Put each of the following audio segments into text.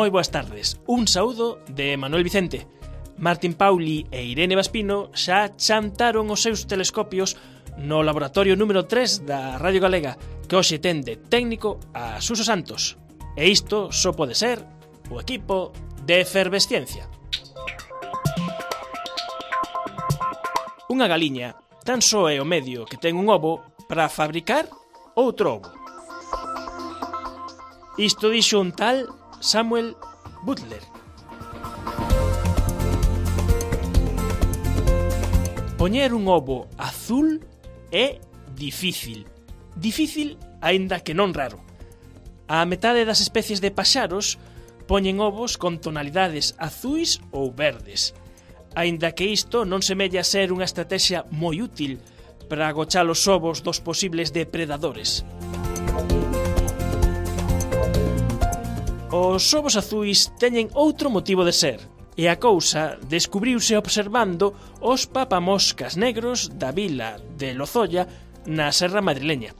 Moi boas tardes. Un saúdo de Manuel Vicente. Martín Pauli e Irene Vaspino xa chantaron os seus telescopios no laboratorio número 3 da Radio Galega, que hoxe ten de técnico a Suso Santos. E isto só pode ser o equipo de Efervesciencia. Unha galiña tan só é o medio que ten un ovo para fabricar outro ovo. Isto dixo un tal Samuel Butler. Poñer un ovo azul é difícil. Difícil, aínda que non raro. A metade das especies de paxaros poñen ovos con tonalidades azuis ou verdes. Aínda que isto non semella ser unha estrategia moi útil para agochar os ovos dos posibles depredadores. Os ovos azuis teñen outro motivo de ser, e a cousa descubriuse observando os papamoscas negros da vila de Lozoya na Serra Madrileña.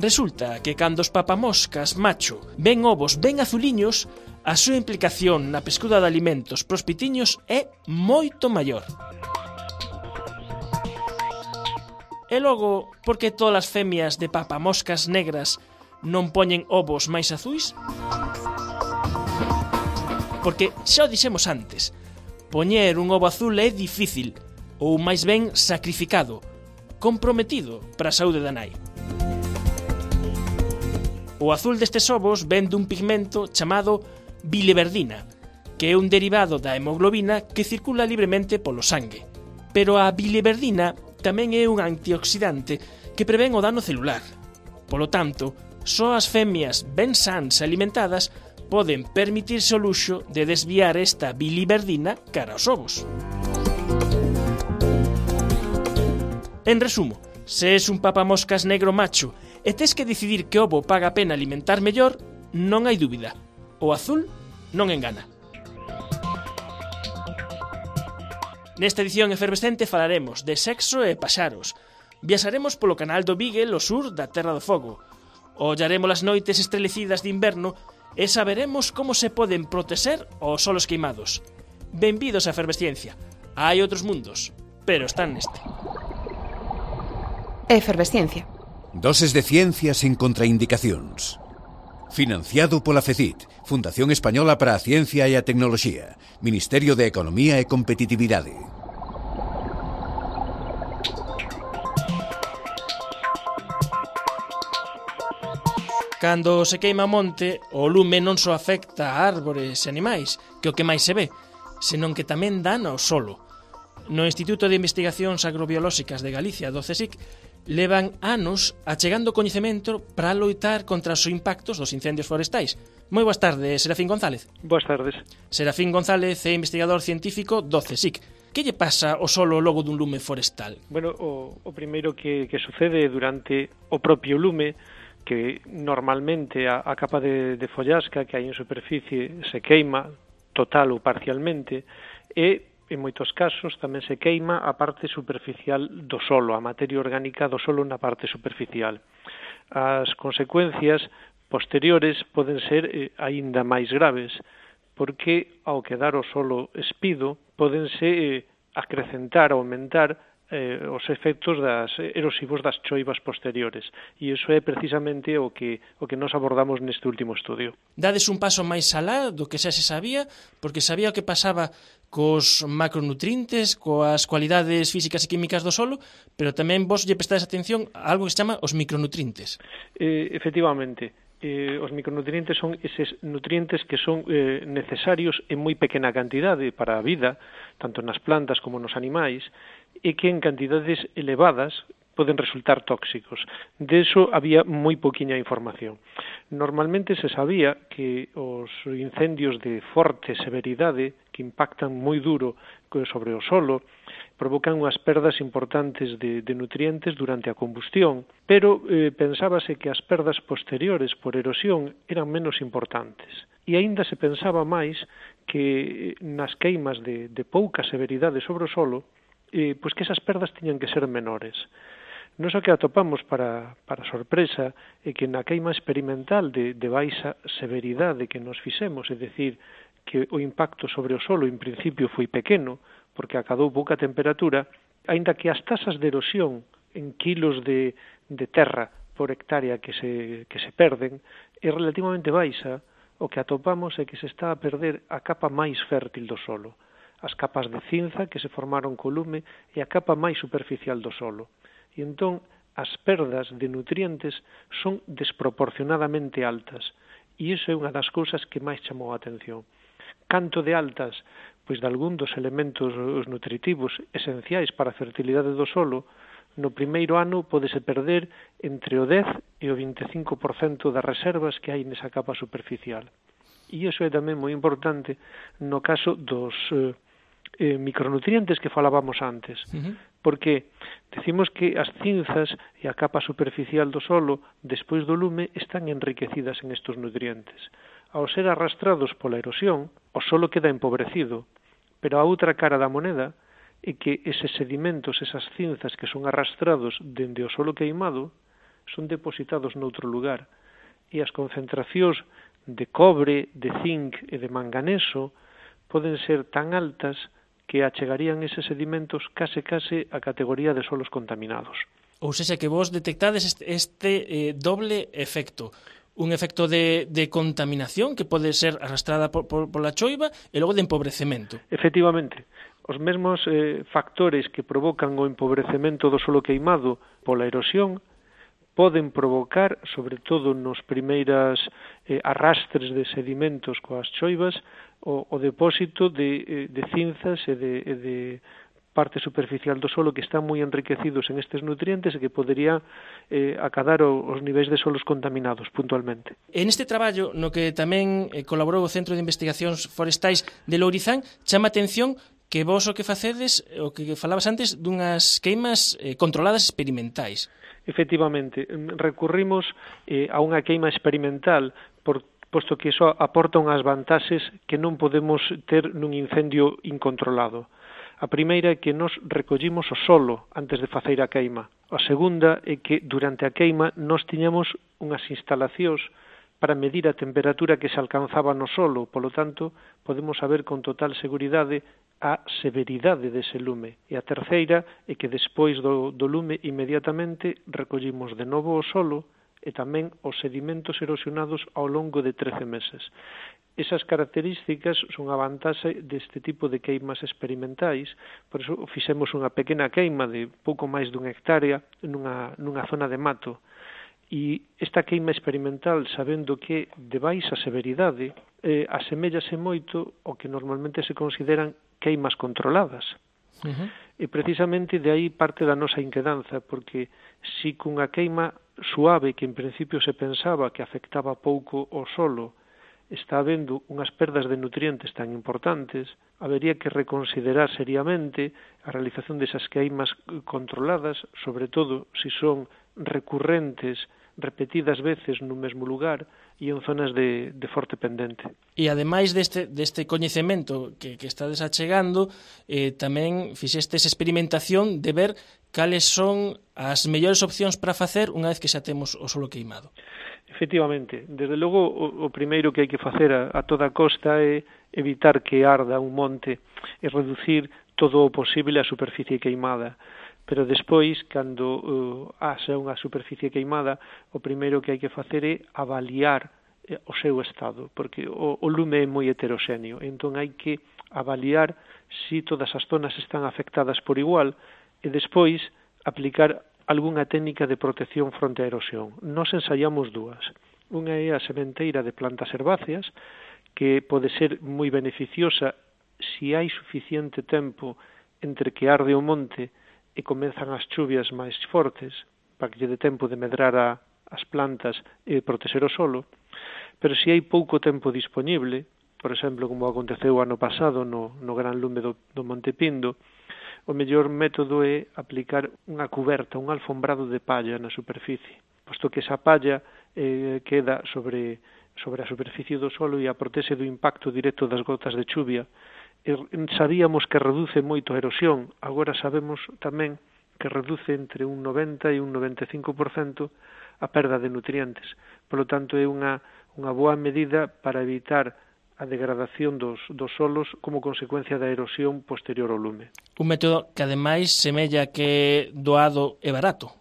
Resulta que cando os papamoscas macho ven ovos ben azuliños, a súa implicación na pescuda de alimentos pros pitiños é moito maior. E logo, por que todas as femias de papamoscas negras non poñen ovos máis azuis? Porque xa o dixemos antes, poñer un ovo azul é difícil, ou máis ben sacrificado, comprometido para a saúde da nai. O azul destes ovos ven dun pigmento chamado biliverdina, que é un derivado da hemoglobina que circula libremente polo sangue. Pero a biliverdina tamén é un antioxidante que prevén o dano celular. Polo tanto, só as femias ben sans e alimentadas poden permitirse o luxo de desviar esta biliverdina cara aos ovos. En resumo, se és un papamoscas negro macho e tes que decidir que ovo paga a pena alimentar mellor, non hai dúbida. O azul non engana. Nesta edición efervescente falaremos de sexo e paxaros. Viaxaremos polo canal do Beagle ao sur da Terra do Fogo. Ollaremos as noites estrelecidas de inverno e saberemos como se poden protexer os solos queimados. Benvidos á efervesciencia. Hai outros mundos, pero están neste. Efervesciencia. Doses de ciencia sen contraindicacións. Financiado pola FECIT, Fundación Española para a Ciencia e a Tecnoloxía, Ministerio de Economía e Competitividade. Cando se queima monte, o lume non só afecta a árbores e animais, que o que máis se ve, senón que tamén dana ao solo. No Instituto de Investigacións Agrobiolóxicas de Galicia, do CSIC, levan anos achegando coñecemento para loitar contra os impactos dos incendios forestais. Moi boas tardes, Serafín González. Boas tardes. Serafín González é investigador científico do CSIC. Que lle pasa ao solo logo dun lume forestal? Bueno, o primeiro que sucede durante o propio lume, que normalmente a capa de follasca que hai en superficie se queima total ou parcialmente e en moitos casos tamén se queima a parte superficial do solo, a materia orgánica do solo na parte superficial. As consecuencias posteriores poden ser aínda máis graves, porque ao quedar o solo espido podense acrecentar, aumentar os efectos erosivos das choivas posteriores. E iso é precisamente o que nos abordamos neste último estudio. Dades un paso máis alá do que xa se sabía, porque sabía o que pasaba cos macronutrientes, coas cualidades físicas e químicas do solo, pero tamén vos lle prestades atención a algo que se chama os micronutrientes. Efectivamente. Os micronutrientes son eses nutrientes que son necesarios en moi pequena cantidade para a vida, tanto nas plantas como nos animais, e que en cantidades elevadas poden resultar tóxicos. De eso había moi poquinha información. Normalmente se sabía que os incendios de forte severidade, que impactan moi duro sobre o solo, provocan unhas perdas importantes de nutrientes durante a combustión, pero pensábase que as perdas posteriores por erosión eran menos importantes. E aínda se pensaba máis que nas queimas de pouca severidade sobre o solo, pois que esas perdas tiñan que ser menores. Nos o que atopamos para sorpresa é que na queima experimental de baixa severidade que nos fixemos, é dicir, que o impacto sobre o solo en principio foi pequeno, porque acadou pouca temperatura, aínda que as tasas de erosión en kilos de terra por hectárea que se perden é relativamente baixa, o que atopamos é que se está a perder a capa máis fértil do solo, as capas de cinza que se formaron co lume e a capa máis superficial do solo. E entón as perdas de nutrientes son desproporcionadamente altas, e iso é unha das cousas que máis chamou a atención. Canto de altas? Pois de algún dos elementos nutritivos esenciais para a fertilidade do solo, no primeiro ano pódese perder entre o 10 e o 25% das reservas que hai nesa capa superficial. E iso é tamén moi importante no caso dos micronutrientes que falábamos antes, porque decimos que as cinzas e a capa superficial do solo, despois do lume, están enriquecidas en estes nutrientes. Ao ser arrastrados pola erosión, o solo queda empobrecido, pero a outra cara da moneda é que eses sedimentos, esas cinzas que son arrastrados dende o solo queimado, son depositados noutro lugar, e as concentracións de cobre, de zinc e de manganeso poden ser tan altas que achegarían eses sedimentos case a categoría de solos contaminados. Ou seja, que vos detectades este doble efecto. Un efecto de contaminación que pode ser arrastrada pola choiva e logo de empobrecemento. Efectivamente, os mesmos factores que provocan o empobrecemento do solo queimado pola erosión poden provocar, sobre todo nos primeiras arrastres de sedimentos coas choivas, o depósito de cinzas e de parte superficial do solo que están moi enriquecidos en estes nutrientes e que podería acadar os niveis de solos contaminados puntualmente. En este traballo, no que tamén colaborou o Centro de Investigacións Forestais de Lourizán, chama a atención que vos o que facedes, o que falabas antes, dunhas queimas controladas experimentais. Efectivamente, recurrimos a unha queima experimental posto que iso aporta unhas vantaxes que non podemos ter nun incendio incontrolado. A primeira é que nos recollimos o solo antes de facer a queima. A segunda é que durante a queima nos tiñamos unhas instalacións para medir a temperatura que se alcanzaba no solo, polo tanto, podemos saber con total seguridade a severidade dese lume. E a terceira é que despois do lume inmediatamente recollimos de novo o solo e tamén os sedimentos erosionados ao longo de 13 meses. Esas características son a vantaxe deste tipo de queimas experimentais, por iso fixemos unha pequena queima de pouco máis dun hectárea nunha zona de mato. E esta queima experimental, sabendo que de baixa severidade, asemellase moito ao que normalmente se consideran queimas controladas. E precisamente de aí parte da nosa inquedanza, porque si cunha queima suave que en principio se pensaba que afectaba pouco o solo, está habendo unhas perdas de nutrientes tan importantes, habería que reconsiderar seriamente a realización desas queimas controladas, sobre todo se son recurrentes, repetidas veces no mesmo lugar e en zonas de forte pendente. E ademais deste coñecemento que estades achegando, tamén fixestes experimentación de ver cales son as mellores opcións para facer unha vez que xa temos o solo queimado. Efectivamente, desde logo o primeiro que hai que facer a toda costa é evitar que arda un monte e reducir todo o posible a superficie queimada. Pero despois, cando haxa unha superficie queimada, o primeiro que hai que facer é avaliar o seu estado, porque o lume é moi heteroxéneo, entón hai que avaliar se todas as zonas están afectadas por igual e despois aplicar algunha técnica de protección fronte á erosión. Nos ensaiamos dúas. Unha é a sementeira de plantas herbáceas, que pode ser moi beneficiosa se hai suficiente tempo entre que arde o monte e comezan as chuvias máis fortes, para que lle dé tempo de medrar as plantas e protexer o solo, pero se hai pouco tempo disponible, por exemplo, como aconteceu o ano pasado no gran lume do Monte Pindo, o mellor método é aplicar unha cuberta, un alfombrado de palla na superficie, posto que esa palla queda sobre a superficie do solo e a protexe do impacto directo das gotas de chuvia. Sabíamos que reduce moito a erosión, agora sabemos tamén que reduce entre un 90 e un 95% a perda de nutrientes. Polo tanto, é unha boa medida para evitar a degradación dos solos como consecuencia da erosión posterior ao lume. Un método que, ademais, semella que doado e barato.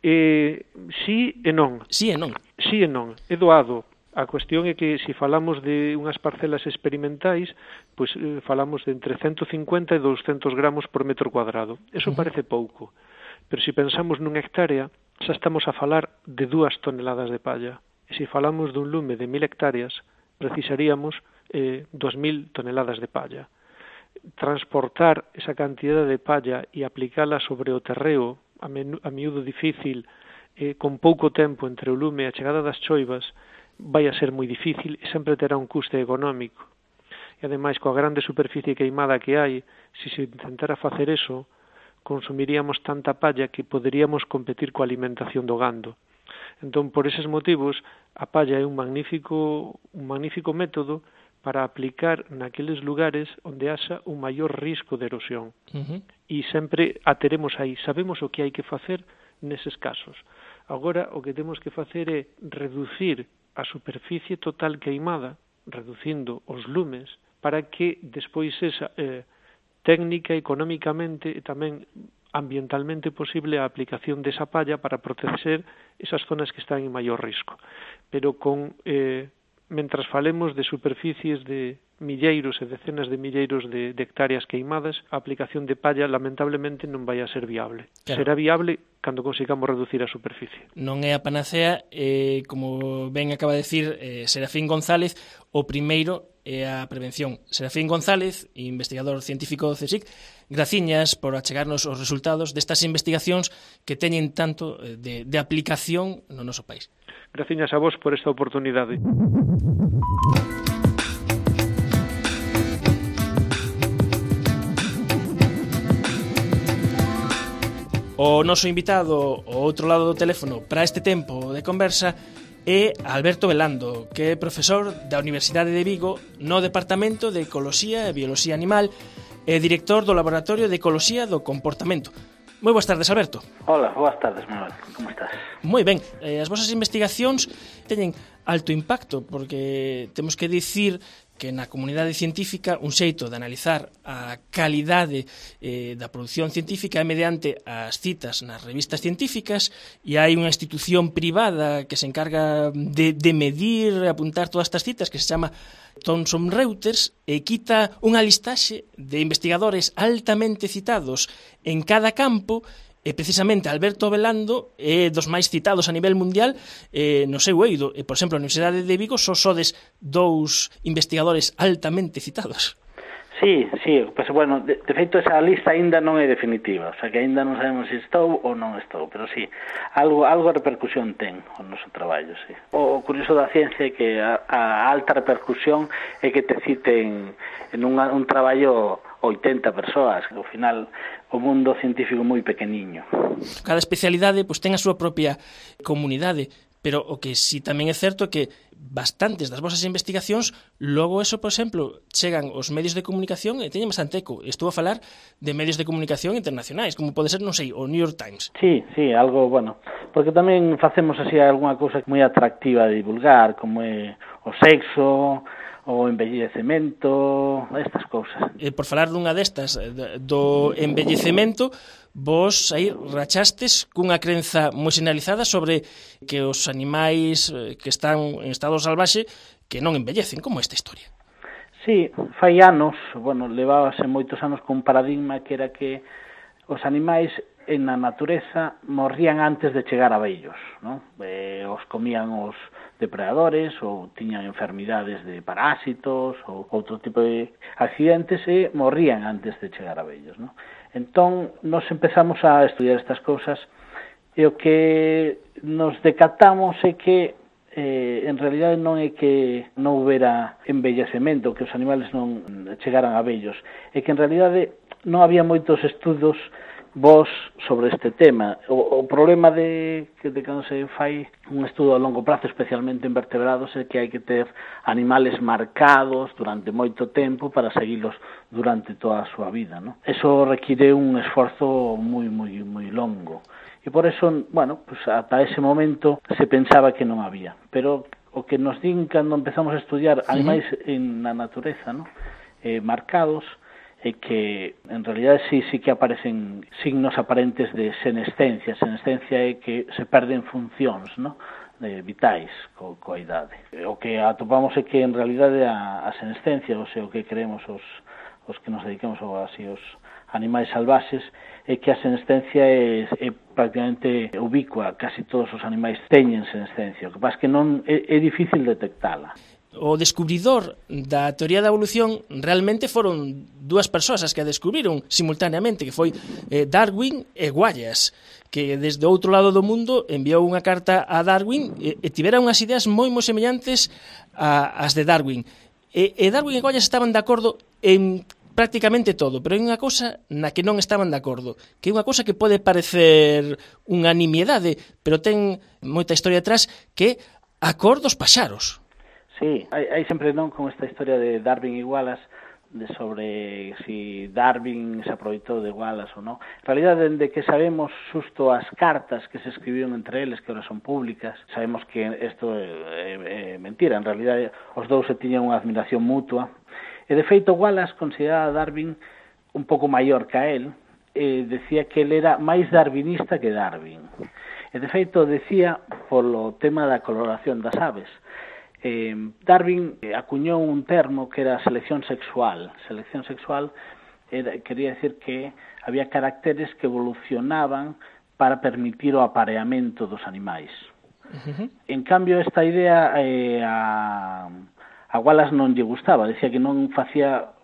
Sí e non. Sí e non. Sí e non. É doado. A cuestión é que, se falamos de unhas parcelas experimentais, pois falamos de entre 150 e 200 gramos por metro cuadrado. Eso parece pouco. Pero se pensamos nunha hectárea, xa estamos a falar de 2 toneladas de palla. E se falamos dun lume de 1000 hectáreas, precisaríamos 2000 toneladas de palla. Transportar esa cantidad de palla e aplicala sobre o terreo, a miúdo difícil, con pouco tempo entre o lume e a chegada das choivas, vai a ser moi difícil e sempre terá un custe económico. E ademais, coa grande superficie queimada que hai, se se intentara facer eso, consumiríamos tanta palla que poderíamos competir coa alimentación do gando. Entón, por eses motivos, a palla é un magnífico método para aplicar naqueles lugares onde haxa un maior risco de erosión. E sempre a teremos aí. Sabemos o que hai que facer neses casos. Agora, o que temos que facer é reducir a superficie total queimada, reducindo os lumes, para que despois esa técnica, económicamente e tamén ambientalmente posible a aplicación desa palla para proteger esas zonas que están en maior risco. Pero mentras falemos de superficies de milleiros e decenas de milleiros de hectáreas queimadas, a aplicación de palla lamentablemente non vai a ser viable. Claro. Será viable cando consigamos reducir a superficie. Non é a panacea, como ben acaba de decir Serafín González, o primeiro é a prevención. Serafín González, investigador científico do CSIC, graciñas por achegarnos os resultados destas investigacións que teñen tanto de aplicación no noso país. Graciñas a vos por esta oportunidade. O noso invitado ao outro lado do teléfono para este tempo de conversa é Alberto Velando, que é profesor da Universidade de Vigo no Departamento de Ecoloxía e Bioloxía Animal e director do Laboratorio de Ecoloxía do Comportamento. Moi boas tardes, Alberto. Hola, boas tardes, Manuel. Como estás? Moi ben. As vosas investigacións teñen alto impacto porque temos que dicir que na comunidade científica un xeito de analizar a calidade da produción científica é mediante as citas nas revistas científicas e hai unha institución privada que se encarga de medir e apuntar todas estas citas que se chama Thomson Reuters e quita unha listaxe de investigadores altamente citados en cada campo. E precisamente Alberto Velando é dos máis citados a nivel mundial no seu eido. E, por exemplo, a Universidade de Vigo só sodes 2 investigadores altamente citados. Sí, pues, bueno, de feito esa lista aínda non é definitiva, o sea que aínda non sabemos se estou ou non estou, pero sí, algo repercusión ten o noso traballo, sí. O curioso da ciencia é que a alta repercusión é que te citen en un traballo 80 persoas, que ao final o mundo científico moi pequeniño. Cada especialidade pois ten a súa propia comunidade, pero o que si tamén é certo é que bastantes das vosas investigacións logo eso, por exemplo, chegan aos medios de comunicación e teñen bastante eco. Estou a falar de medios de comunicación internacionais, como pode ser, non sei, o New York Times. Sí, algo, bueno, porque tamén facemos así algunha cousa moi atractiva de divulgar, como é o sexo, o envellecemento, estas cousas. Por falar dunha destas, do envellecemento, vos aí rachastes cunha crenza moi sinalizada sobre que os animais que están en estado salvaxe que non envellecen. Como esta historia? Sí, fai anos, bueno, levábase moitos anos con un paradigma que era que os animais en a natureza morrían antes de chegar a vellos, non? Os comían os depredadores ou tiñan enfermidades de parásitos ou outro tipo de accidentes e morrían antes de chegar a vellos, non? Entón, nos empezamos a estudiar estas cousas e o que nos decatamos é que en realidade non é que non houbera envellecemento, que os animales non chegaran a vellos, é que en realidade non había moitos estudos vos sobre este tema. O problema de cando se fai un estudo a longo prazo, especialmente en vertebrados, é que hai que ter animales marcados durante moito tempo para seguilos durante toda a súa vida, ¿no? Eso require un esforzo moi longo. E por eso, bueno, pues ata ese momento se pensaba que non había. Pero o que nos din cando empezamos a estudiar animais na natureza, ¿no? Marcados, é que en realidad sí que aparecen signos aparentes de senescencia. Senescencia é que se perden funcións, ¿no? Vitais coa idade. O que atopamos é que en realidade a senescencia, ou sea, o que creemos os que nos dedicamos así os animais salvaxes, é que a senescencia é prácticamente ubicua. Casi todos os animais teñen senescencia. O que pasa é que non é difícil detectala. O descubridor da teoría da evolución realmente foron dúas persoas as que a descubriron simultaneamente, que foi Darwin e Wallace, que desde o outro lado do mundo enviou unha carta a Darwin e tivera unhas ideas moi semellantes ás de Darwin. E Darwin e Wallace estaban de acordo en prácticamente todo, pero hai unha cousa na que non estaban de acordo, que é unha cousa que pode parecer unha nimiedade, pero ten moita historia atrás, que é a cor dos paxaros. Sí, hai sempre non con esta historia de Darwin e Wallace, sobre si Darwin se aproveitou de Wallace ou non. En realidad, dende que sabemos xusto as cartas que se escribiron entre eles, que ahora son públicas, sabemos que isto é mentira. En realidad, os dous se tiñan unha admiración mutua. E, de feito, Wallace consideraba a Darwin un pouco maior que a él, e decía que ele era máis darwinista que Darwin. E, de feito, decía polo tema da coloración das aves. Darwin acuñou un termo que era selección sexual. Selección sexual quería decir que había caracteres que evolucionaban para permitir o apareamento dos animais. En cambio, esta idea a Wallace non lle gustaba. Decía que non facía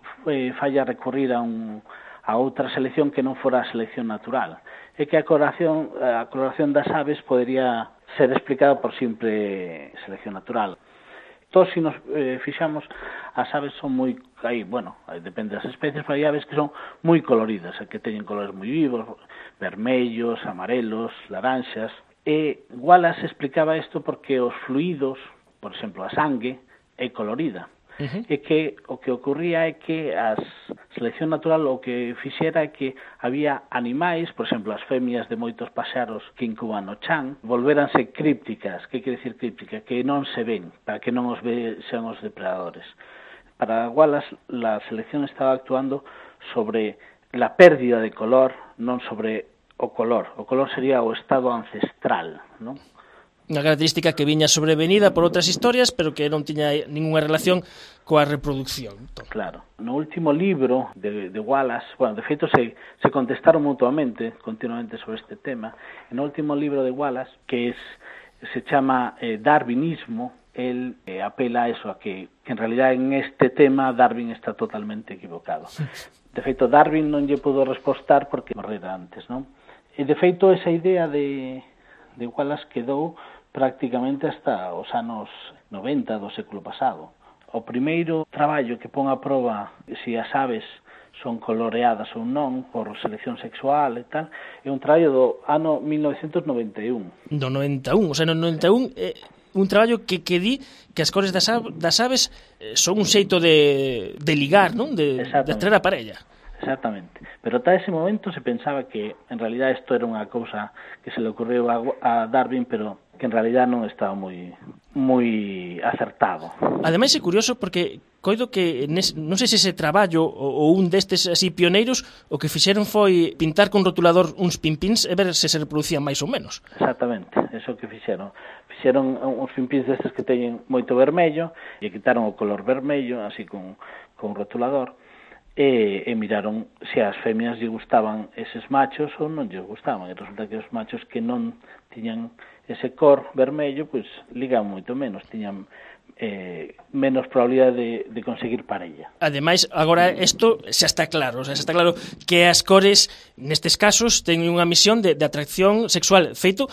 falla recurrir a outra selección que non fora a selección natural. E que a coloración das aves podería ser explicada por simple selección natural. Todos, se nos fixamos, as aves son moi, depende das especies, pero hai aves que son moi coloridas, que teñen colores moi vivos, vermellos, amarelos, laranxas. E Wallace explicaba isto porque os fluidos, por exemplo, a sangue, é colorida. E que o que ocurría é que a selección natural o que fixera é que había animais, por exemplo, as femias de moitos paxaros que incuban no chan, volvéranse crípticas. Que quere decir críptica? Que non se ven, para que non os vexan os depredadores. Para Wallace, a selección estaba actuando sobre a pérdida de color, non sobre o color. O color sería o estado ancestral, non? Unha característica que viña sobrevenida por outras historias, pero que non tiña ninguna relación coa reproducción. Claro. No último libro de Wallace, de feito se contestaron mutuamente, continuamente sobre este tema. En o último libro de Wallace, que se chama Darwinismo, él apela a eso, a que en realidad en este tema Darwin está totalmente equivocado. De feito, Darwin non lle pudo respostar porque morrera antes, non? E de feito, esa idea de Wallace quedou prácticamente hasta os anos 90 do século pasado. O primeiro traballo que pon a proba se as aves son coloreadas ou non por selección sexual e tal, é un traballo do ano 1991. Do 91, o sea, no 91 un traballo que di que as cores das aves son un xeito de ligar, non? De traer a parella. Exactamente. Pero ata ese momento se pensaba que en realidad isto era unha cousa que se le ocurriu a Darwin, pero que en realidad non estaba moi acertado. Ademais é curioso porque coido que non sei se ese traballo ou un destes así pioneiros o que fixeron foi pintar con rotulador uns pimpins e ver se reproducían máis ou menos. Exactamente, eso que fixeron. Fixeron uns pimpins destes que teñen moito vermello e quitaron o color vermello así con rotulador. E miraron se as femias lle gustaban eses machos ou non lle gustaban, e resulta que os machos que non tiñan ese cor vermello, pois ligaban moito menos, tiñan menos probabilidade de conseguir parella. Ademais, agora isto xa está claro, xa está claro que as cores nestes casos teñen unha misión de atracción sexual. Feito,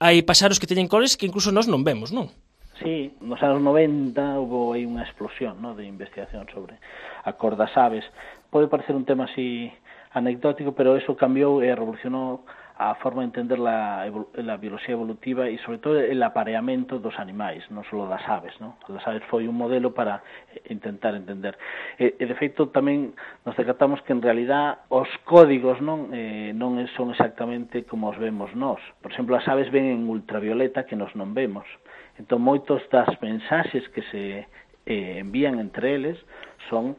hai paxaros que teñen cores que incluso nós non vemos, non? Sí, nos anos 90 houve aí unha explosión, ¿no?, de investigación sobre a cor das aves. Pode parecer un tema así anecdótico, pero eso cambiou e revolucionou a forma de entender a biología evolutiva e, sobre todo, el apareamento dos animais, non só das aves, non? Das aves foi un modelo para intentar entender. E de feito, tamén nos decatamos que, en realidad, os códigos non son exactamente como os vemos nós. Por exemplo, as aves ven en ultravioleta que nos non vemos. Entón, moitos das mensaxes que se envían entre eles son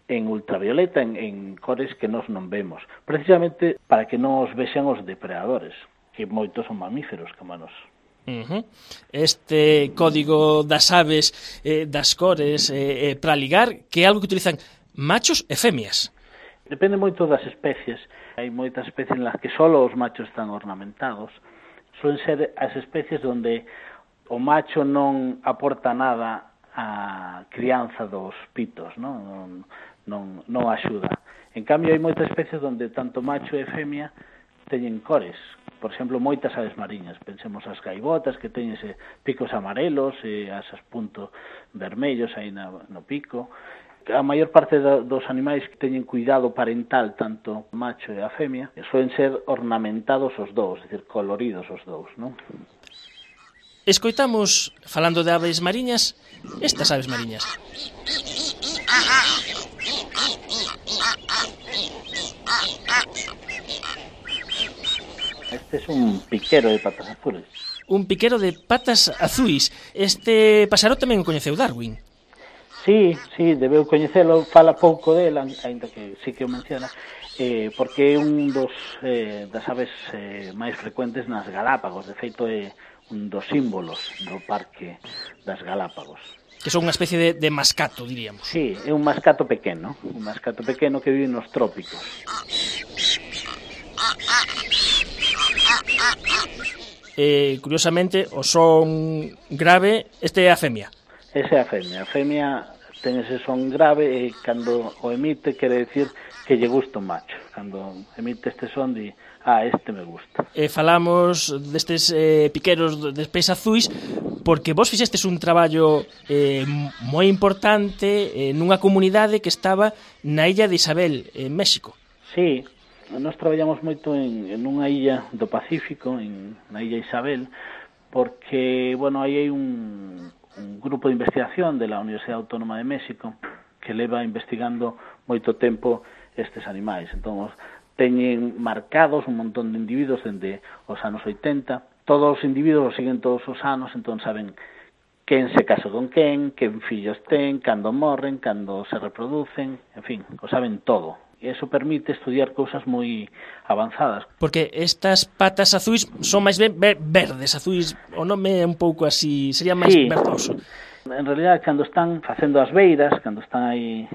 en ultravioleta, en cores que nós non vemos, precisamente para que non os vexan os depredadores, que moitos son mamíferos como nós. Este código das aves, das cores, para ligar, que é algo que utilizan machos e femias. Depende moito das especies. Hai moitas especies en las que só os machos están ornamentados. Suelen ser as especies onde o macho non aporta nada á crianza dos pitos, non axuda. En cambio, hai moitas especies onde tanto macho e femia teñen cores. Por exemplo, moitas aves mariñas. Pensemos as gaivotas, que teñen picos amarelos e asas puntos vermellos aí no pico. A maior parte dos animais que teñen cuidado parental, tanto o macho e a femia, suelen ser ornamentados os dous, é dicir, coloridos os dous, non? Escoitamos, falando de aves mariñas, estas aves mariñas. Este es un piquero de patas azules. Un piquero de patas azuis. Este pasaro tamén o coñeceu Darwin. Sí, debeu coñecelo, fala pouco dela, ainda que sí que o menciona, porque é un das aves máis frecuentes nas Galápagos. De feito, é un dos símbolos do Parque das Galápagos. Que son unha especie de mascato, diríamos. Sí, é un mascato pequeno que vive nos trópicos. Curiosamente, o son grave, este é a femia. Esa é a femia. A femia ten ese son grave e cando o emite quere decir que lle gusta un macho. Cando emite este son di, este me gusta. Falamos destes piqueros de pés azuis porque vos fixestes un traballo moi importante nunha comunidade que estaba na illa de Isabel, en México. Sí, nós traballamos moito en unha illa do Pacífico, na illa Isabel, porque, aí hai un grupo de investigación de la Universidad Autónoma de México que leva investigando moito tempo estes animais. Entón, teñen marcados un montón de individuos dende os anos 80. Todos os individuos os siguen todos os anos, entón saben quen se casa con quen fillos ten, cando morren, cando se reproducen, en fin, o saben todo. E iso permite estudiar cousas moi avanzadas. Porque estas patas azuis son máis ben verdes, azuis, o nome é un pouco así, sería máis verdoso. En realidad, cando están facendo as beiras, cando están aí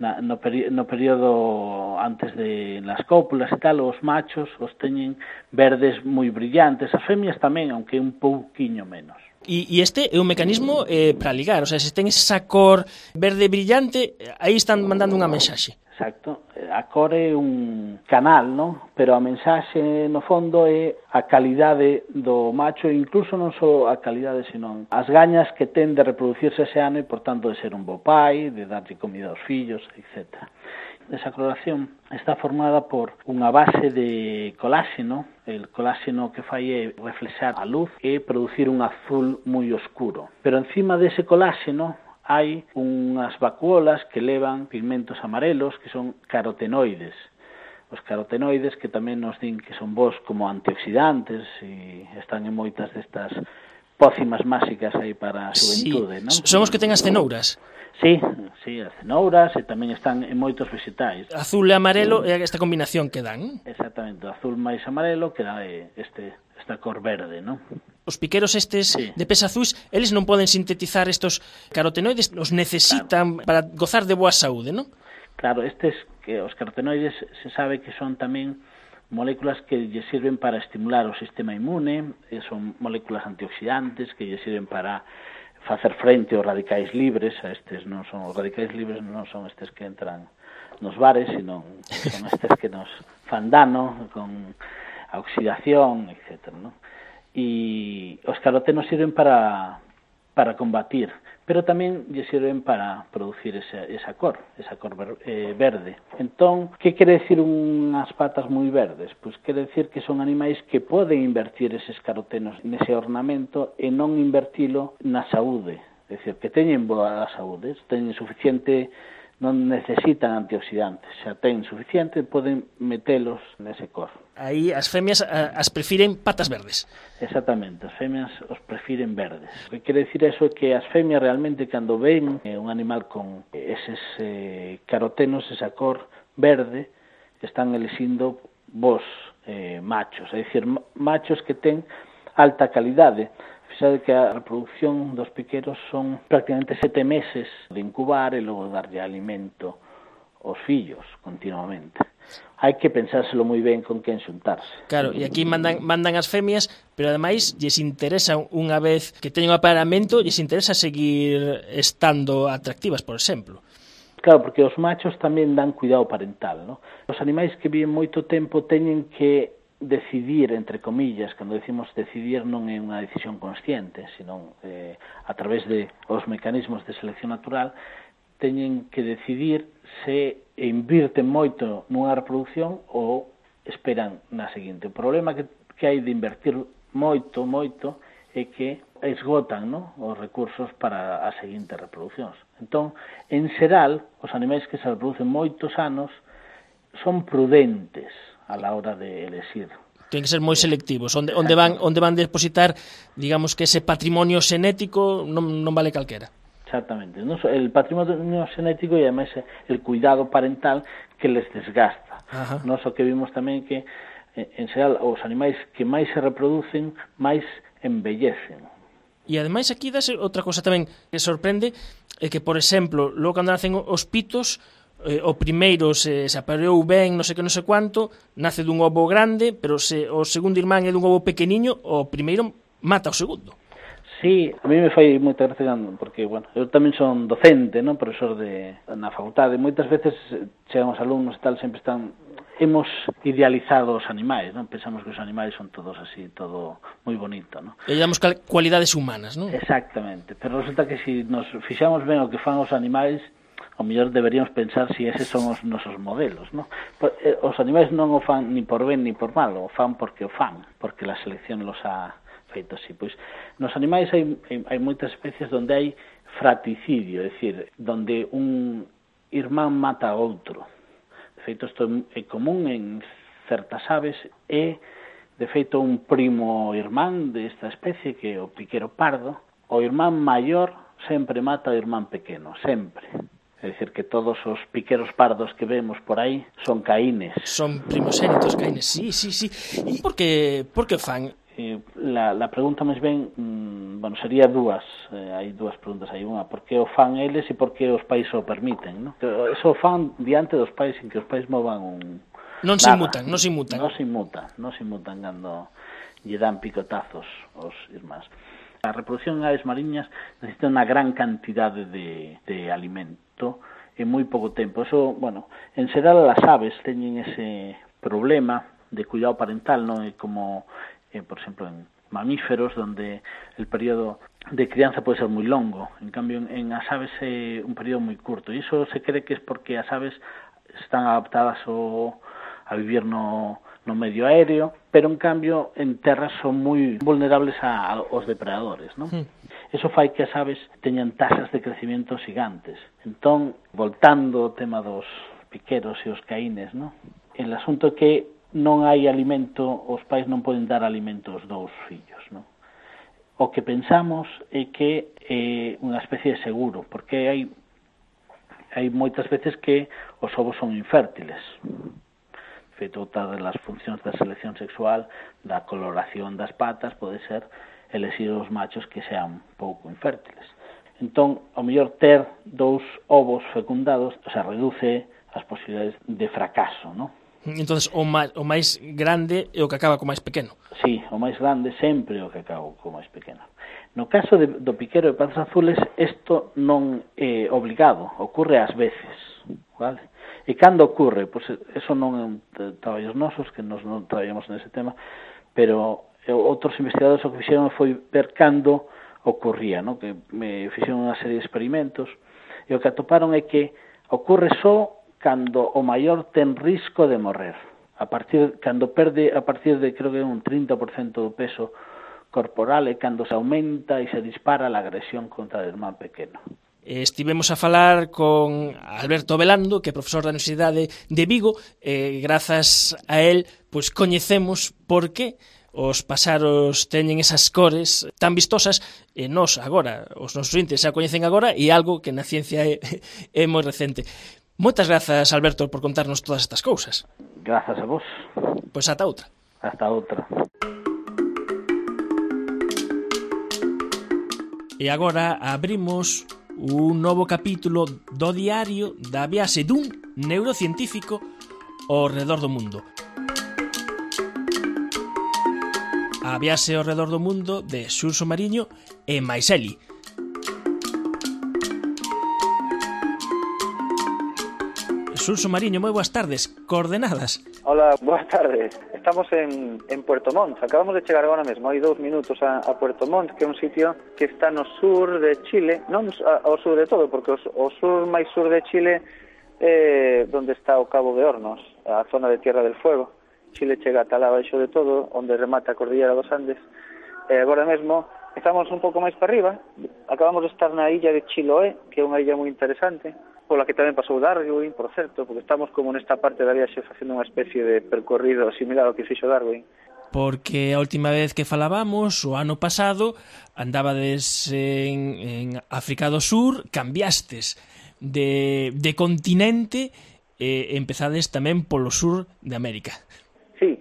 no período antes de las cópulas e tal, os machos os teñen verdes moi brillantes, as femias tamén, aunque un pouquiño menos. E este é un mecanismo para ligar, o sea, se ten esa cor verde brillante, aí están mandando unha mensaxe. Exacto, a cor é un canal, non? Pero a mensaxe no fondo é a calidade do macho, incluso non só a calidade, senón as gañas que ten de reproducirse ese ano e, por tanto, de ser un bo pai, de darlle comida aos fillos, etc. Esa coloración está formada por unha base de coláxeno. El coláxeno que fai é reflexar a luz e producir un azul moi oscuro. Pero encima dese coláxeno hai unhas vacuolas que levan pigmentos amarelos que son carotenoides. Os carotenoides que tamén nos din que son bons como antioxidantes e están en moitas destas pócimas máxicas aí para a xuventude, non? Son os que ten as cenouras. Sí, as cenouras e tamén están en moitos vegetais. Azul e amarelo é esta combinación que dan. Exactamente, o azul máis amarelo que dá esta cor verde, non? Os piqueros estes de pés azuis, eles non poden sintetizar estos carotenoides, os necesitan para gozar de boa saúde, non? Claro, os carotenoides se sabe que son tamén moléculas que lle sirven para estimular o sistema inmune, son moléculas antioxidantes que lle sirven para facer frente aos radicais libres, os radicais libres non son estes que entran nos bares, sino son estes que nos fan dano con a oxidación, etc., non? E os carotenos sirven para para combatir, pero tamén lle sirven para producir esa cor verde. Entón, que quere decir unhas patas moi verdes? Pois quere decir que son animais que poden invertir eses carotenos nese ornamento e non invertilo na saúde, é dicir, que teñen boa saúde, teñen suficiente, non necesitan antioxidantes, xa ten suficiente, poden metelos nese cor. Aí as femias as prefiren patas verdes. Exactamente, as femias os prefiren verdes. O que quere decir eso é que as femias realmente cando ven un animal con eses carotenos, esa cor verde, están elixindo vos machos, é dicir, machos que ten alta calidade. Fixade que a reproducción dos piqueros son prácticamente 7 meses de incubar e logo darlle alimento aos fillos continuamente. Hai que pensárselo moi ben con quen xuntarse. Claro, e aquí mandan as femias, pero ademais lles interesa, unha vez que teñen o aparamento, lles interesa seguir estando atractivas, por exemplo. Claro, porque os machos tamén dan cuidado parental, ¿no? Os animais que viven moito tempo teñen que decidir, entre comillas, cando decimos decidir non é unha decisión consciente, sino a través de os mecanismos de selección natural, teñen que decidir se invirten moito nunha reproducción ou esperan na seguinte. O problema que hai de invertir moito é que esgotan, ¿no?, os recursos para as seguintes reproduccións. Entón, en xeral, os animais que se reproducen moitos anos son prudentes a la hora de elegir. Ten que ser moi selectivos. Onde van depositar, digamos que ese patrimonio xenético non vale calquera. Exactamente. El patrimonio xenético e ademais el cuidado parental que les desgasta. Nos o que vimos tamén que en xeral os animais que máis se reproducen máis envellecen. E ademais aquí dase outra cosa tamén que sorprende, é que, por exemplo, logo cando nacen os pitos, o primeiro se apareou ben, non sei que non sei quanto, nace dun ovo grande, pero se o segundo irmán é dun ovo pequeniño, o primeiro mata o segundo. Sí, a mí me fai moita gracia, porque, bueno, eu tamén son docente, non, profesor na facultade, moitas veces chegan os alumnos e tal, sempre hemos idealizado os animais, non? Pensamos que os animais son todos así, todo moi bonito, non? E damos cualidades humanas, non? Exactamente, pero resulta que se nos fixamos ben o que fan os animais, ao mellor deberíamos pensar se eses son os nosos modelos, non? Os animais non o fan ni por ben ni por mal, o fan porque o fan, porque a selección los ha feito así. Pois nos animais hai moitas especies onde hai fraticidio, é dicir, donde un irmán mata a outro. De feito, isto é común en certas aves e, de feito, un primo irmán desta especie, que é o piquero pardo, o irmán maior sempre mata o irmán pequeno, sempre. É dicir, que todos os piqueros pardos que vemos por aí son caínes. Son primogénitos caínes, sí. E por que fan? La pregunta máis ben, bueno, sería dúas. Hai dúas preguntas aí. Unha, por que o fan eles e por que os pais o permiten, non? Eso o fan diante dos pais, sin que os pais movan un... Non se inmutan. Non se inmutan cando lle dan picotazos aos irmáns. A reproducción en aves mariñas necesita unha gran cantidade de alimento en moi pouco tempo. Eso, bueno, en xeral as aves teñen ese problema de cuidado parental, non é como, por exemplo, en mamíferos, donde el período de crianza pode ser moi longo. En cambio, en as aves é un período moi curto. E iso se cree que é porque as aves están adaptadas a vivir no medio aéreo, pero en cambio en terras son moi vulnerables aos depredadores, non? Eso fai que as aves teñan tasas de crecimiento gigantes. Entón, voltando ao tema dos piqueros e os caínes, non? El asunto é que non hai alimento, os pais non poden dar alimento aos dous fillos, non? O que pensamos é que é unha especie de seguro, porque hai moitas veces que os ovos son infértiles. Feito outra das funcións da selección sexual, da coloración das patas, pode ser elexir os machos que sean pouco infértiles. Entón, ao mellor ter dous ovos fecundados, reduce as posibilidades de fracaso, non? Entón, o máis grande é o que acaba co máis pequeno. Sí, o máis grande sempre é o que acaba co máis pequeno. No caso do piquero de patas azules, isto non é obligado, ocorre ás veces, vale? E cando ocorre? Pois eso non é un traballos nosos, que nos non traballamos nese tema, pero outros investigadores o que fixeron foi ver cando ocurría, no? Que me fixeron unha serie de experimentos e o que atoparon é que ocorre só cando o maior ten risco de morrer. Cando perde a partir de, creo que un 30% do peso corporal, é cando se aumenta e se dispara a agresión contra o irmán pequeno. Estivemos a falar con Alberto Velando, que é profesor da Universidade de Vigo, e grazas a él pois coñecemos por que os paxaros teñen esas cores tan vistosas e nós agora, os nosos ouvintes xa coñecen agora e algo que na ciencia é moi recente. Moitas grazas, Alberto, por contarnos todas estas cousas. Grazas a vos. Pois ata outra. Hasta outra. E agora abrimos un novo capítulo do diario da viaxe dun neurocientífico ao redor do mundo. A viaxe ao redor do mundo de Xurxo Mariño e Maiseli. Xurxo Mariño, moi boas tardes. Coordenadas. Hola, boas tardes. Estamos en Puerto Montt. Acabamos de chegar agora mesmo, hai 2 minutos a Puerto Montt, que é un sitio que está no sur de Chile, non ao sur de todo, porque o sur máis sur de Chile é onde está o Cabo de Hornos, a zona de Tierra del Fuego. Chile chega ata lá baixo de todo, onde remata a Cordillera dos Andes. Agora mesmo estamos un pouco máis para arriba. Acabamos de estar na illa de Chiloé, que é unha illa moi interesante, pola que tamén pasou Darwin, por certo, porque estamos como nesta parte da viaxe facendo unha especie de percorrido similar ao que fixo Darwin. Porque a última vez que falábamos, o ano pasado, andabades en África do Sur, cambiastes de continente e empezades tamén polo sur de América. Sí,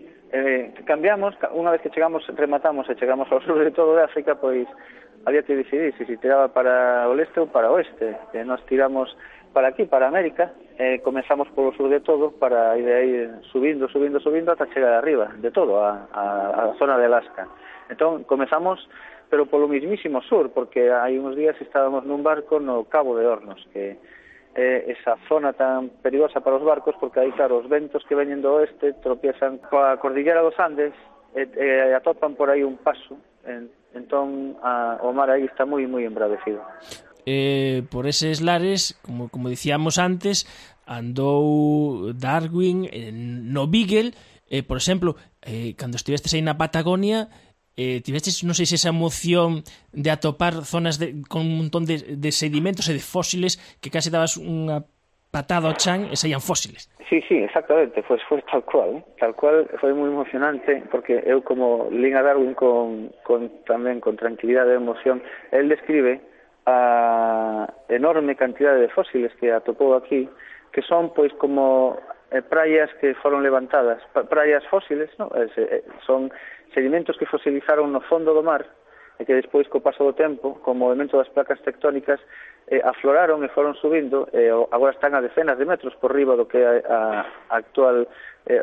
cambiamos, unha vez que rematamos e chegamos ao sur de todo de África, pois había que decidir se tiraba para o leste ou para o oeste. Nos tiramos para aquí, para América, comenzamos polo sur de todo para ir aí subindo ata chegar arriba de todo, a zona de Alaska. Entón, comenzamos, pero polo mismísimo sur, porque hai uns días estábamos nun barco no Cabo de Hornos, que esa zona tan perigosa para os barcos, porque aí, claro, os ventos que veñen do oeste tropiezan coa Cordillera dos Andes e atopan por aí un paso, entón o mar aí está moi embravecido. Por eses lares, como dicíamos antes, andou Darwin no Beagle, por exemplo, cando estivestes aí na Patagonia, tivestes, non sei se esa emoción de atopar zonas con un montón de sedimentos e de fósiles que case dabas unha patada ao chan e saían fósiles. Sí, exactamente, foi tal cual, foi moi emocionante, porque eu como lín a Darwin tamén con tranquilidade e emoción, el describe a enorme cantidade de fósiles que atopou aquí, que son pois como praias que foron levantadas, praias fósiles, ¿no? Son sedimentos que fosilizaron no fondo do mar e que despois, co paso do tempo, co movimento das placas tectónicas, afloraron e foron subindo, e agora están a decenas de metros por riba do que é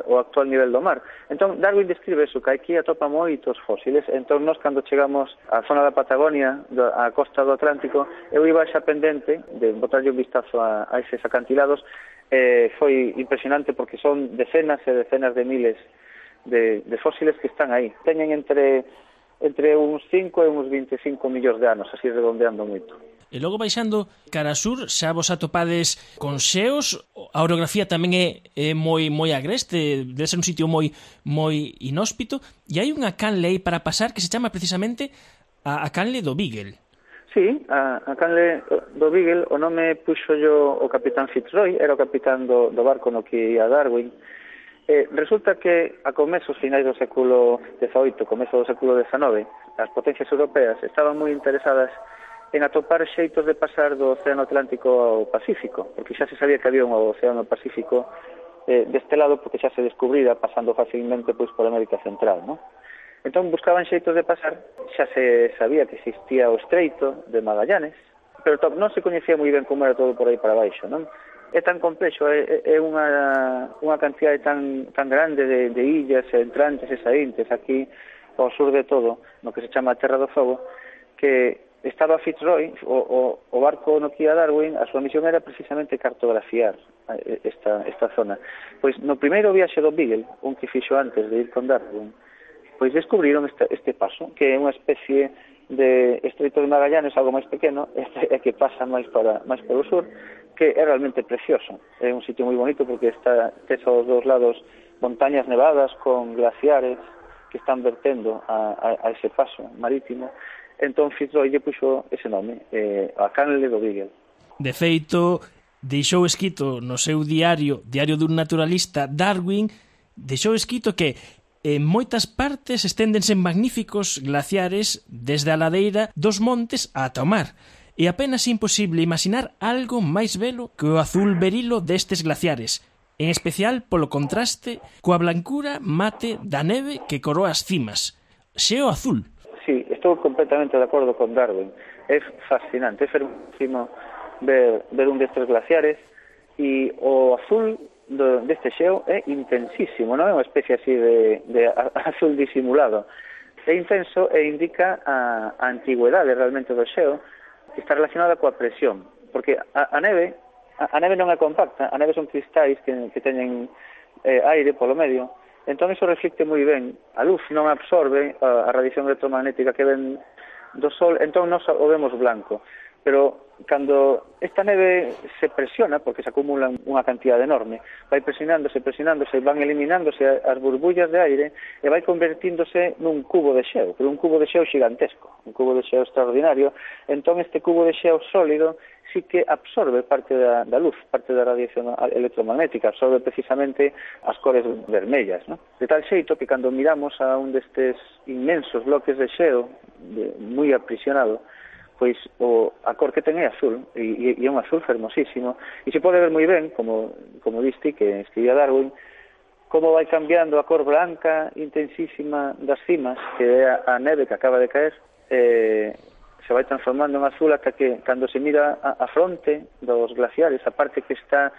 o actual nivel do mar. Entón, Darwin describe eso, que aquí atopa moitos fósiles. Entón, nós, cando chegamos á zona da Patagonia, á costa do Atlántico, eu iba xa pendente de botarlle un vistazo a eses acantilados. Foi impresionante porque son decenas e decenas de miles de fósiles que están aí. Teñen entre uns 5 e uns 25 millóns de anos, así redondeando moito. E logo baixando cara sur, xa vos atopades con xeos, a orografía tamén é moi agreste, debe ser un sitio moi inhóspito, e hai unha canle aí para pasar que se chama precisamente a canle do Beagle. Sí, a canle do Beagle, o nome puxo yo o capitán Fitzroy, era o capitán do barco no que ia Darwin. Resulta que a comezos finais do século XVIII, comezo do século XIX, as potencias europeas estaban moi interesadas en atopar xeitos de pasar do Océano Atlántico ao Pacífico, porque xa se sabía que había un Océano Pacífico deste lado, porque xa se descubrira pasando facilmente pois por América Central, ¿no? Entón buscaban xeitos de pasar, xa se sabía que existía o Estreito de Magallanes, pero non se coñecía moi ben como era todo por aí para baixo, non? É tan complexo, é unha cantidade tan grande de illas entrantes e saíntes aquí ao sur de todo, no que se chama Terra do Fogo, que estaba Fitzroy, o barco no que ia Darwin, a súa misión era precisamente cartografiar esta zona. Pois no primeiro viaxe do Beagle, un que fixo antes de ir con Darwin, pois descubriron este paso, que é unha especie de Estreito de Magallanes, algo máis pequeno, é que pasa máis polo sur, que é realmente precioso. É un sitio moi bonito porque tes aos dous lados montañas nevadas con glaciares que están vertendo a ese paso marítimo. Entón Fitzroy lle puxo ese nome, a canle do Beagle. De feito, deixou escrito no seu diario dun naturalista, Darwin, deixou escrito que en moitas partes esténdense magníficos glaciares desde a ladeira dos montes ata o mar. É apenas imposible imaginar algo máis belo que o azul berilo destes glaciares, en especial polo contraste coa blancura mate da neve que coroa as cimas. Xeo azul. Sí, estou completamente de acordo con Darwin. É fascinante, é fermosísimo ver un destes glaciares e o azul deste xeo é intensísimo, non é unha especie así de azul disimulado. É intenso e indica a antigüedade realmente do xeo, que está relacionada coa presión, porque a neve non é compacta, a neve son cristais que teñen aire polo medio, entón iso reflicte moi ben, a luz non absorbe a radiación electromagnética que ven do sol, entón non o vemos blanco, pero cando esta neve se presiona, porque se acumulan unha cantidad enorme, vai presionándose, van eliminándose as burbullas de aire e vai convertíndose nun cubo de xeo, pero un cubo de xeo gigantesco, un cubo de xeo extraordinario. Entón este cubo de xeo sólido sí que absorbe parte da luz, parte da radiación electromagnética, absorbe precisamente as cores vermellas, ¿no? De tal xeito que cando miramos a un destes inmensos bloques de xeo moi aprisionado, pois a cor que ten é azul, e é un azul fermosísimo, e se pode ver moi ben, como diste, que escribía Darwin, como vai cambiando a cor blanca intensísima das cimas, que é a neve que acaba de caer, se vai transformando en azul ata que, cando se mira a fronte dos glaciares, a parte que está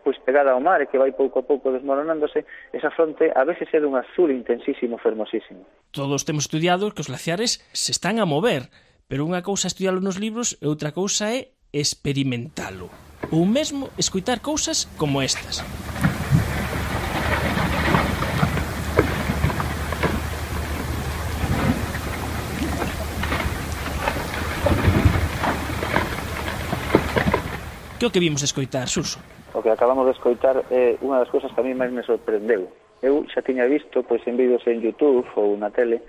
pois pegada ao mar e que vai pouco a pouco desmoronándose, esa fronte a veces é dun azul intensísimo, fermosísimo. Todos temos estudiado que os glaciares se están a mover, pero unha cousa é estudialo nos libros e outra cousa é experimentalo. Ou mesmo escoitar cousas como estas. Que o que vimos escoitar, Suso? O que acabamos de escoitar é unha das cousas que a mí máis me sorprendeu. Eu xa tiña visto pois en vídeos en YouTube ou na tele